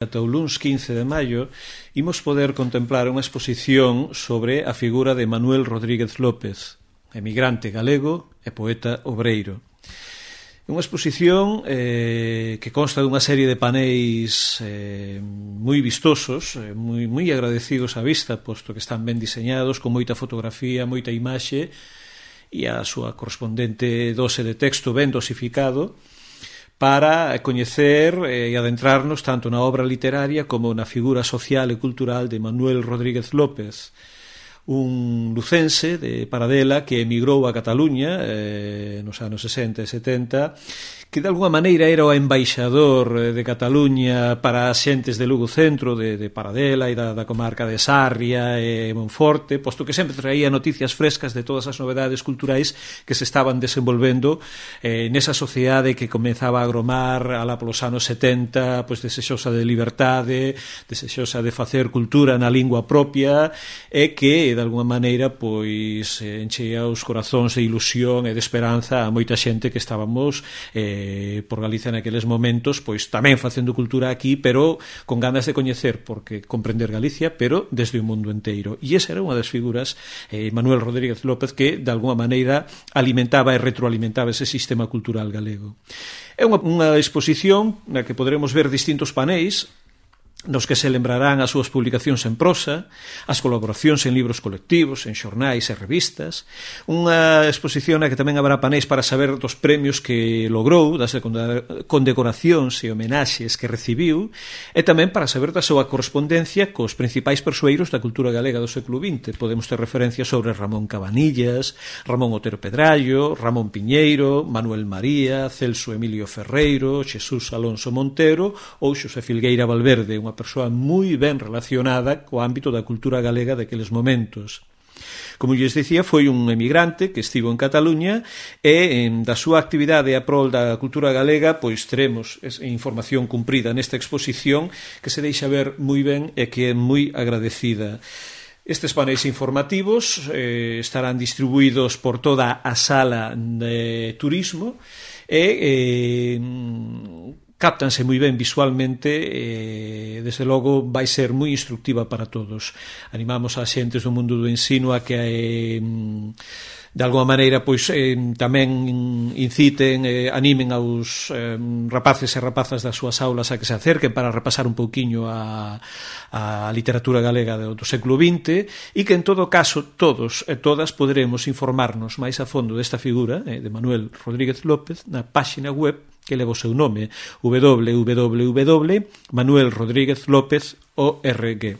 ata o luns 15 de maio imos poder contemplar unha exposición sobre a figura de Manuel Rodríguez López, emigrante galego e poeta obreiro. É unha exposición que consta dunha serie de paneis moi vistosos, moi agradecidos á vista, posto que están ben diseñados, con moita fotografía, moita imaxe e a súa correspondente dose de texto ben dosificado, para coñecer e adentrarnos tanto na obra literaria como na figura social e cultural de Manuel Rodríguez López, un lucense de Paradela que emigrou a Cataluña nos anos 60 e 70, que de alguma maneira era o embaixador de Cataluña para as xentes de Lugo Centro, de Paradela e da comarca de Sarria e Monforte, posto que sempre traía noticias frescas de todas as novedades culturais que se estaban desenvolvendo nesa sociedade que comezaba a agromar alá polos anos 70, pois desexosa de liberdade, desexosa de facer cultura na lingua propia e que de alguma maneira pois enchea os corazóns de ilusión e de esperanza a moita xente que estábamos por Galicia naqueles momentos, pois tamén facendo cultura aquí, pero con ganas de coñecer, porque comprender Galicia, pero desde o mundo enteiro. E esa era unha das figuras, Manuel Rodríguez López, que de alguma maneira alimentaba e retroalimentaba ese sistema cultural galego. É unha exposición na que poderemos ver distintos paneis nos que se lembrarán as súas publicacións en prosa, as colaboracións en libros colectivos, en xornais e revistas, unha exposición na que tamén habrá paneis para saber dos premios que logrou, das condecoracións e homenaxes que recibiu, e tamén para saber da súa correspondencia cos principais persoeiros da cultura galega do século XX. Podemos ter referencias sobre Ramón Cabanillas, Ramón Otero Pedrallo, Ramón Piñeiro, Manuel María, Celso Emilio Ferreiro, Xesús Alonso Montero ou Xosé Filgueira Valverde, unha persoa moi ben relacionada co ámbito da cultura galega daqueles momentos. Como lles dicía, foi un emigrante que estivo en Cataluña e da súa actividade a prol da cultura galega pois teremos información cumprida nesta exposición que se deixa ver moi ben e que é moi agradecida. Estes paneis informativos estarán distribuídos por toda a sala de turismo e cáptanse moi ben visualmente e, desde logo, vai ser moi instructiva para todos. Animamos a xentes do mundo do ensino a que de alguma maneira pois tamén inciten, animen aos rapaces e rapazas das súas aulas a que se acerquen para repasar un pouquiño a literatura galega do século XX e que en todo caso todos e todas poderemos informarnos máis a fondo desta figura de Manuel Rodríguez López na páxina web que leva o seu nome, www.manuelrodriguezlopez.org.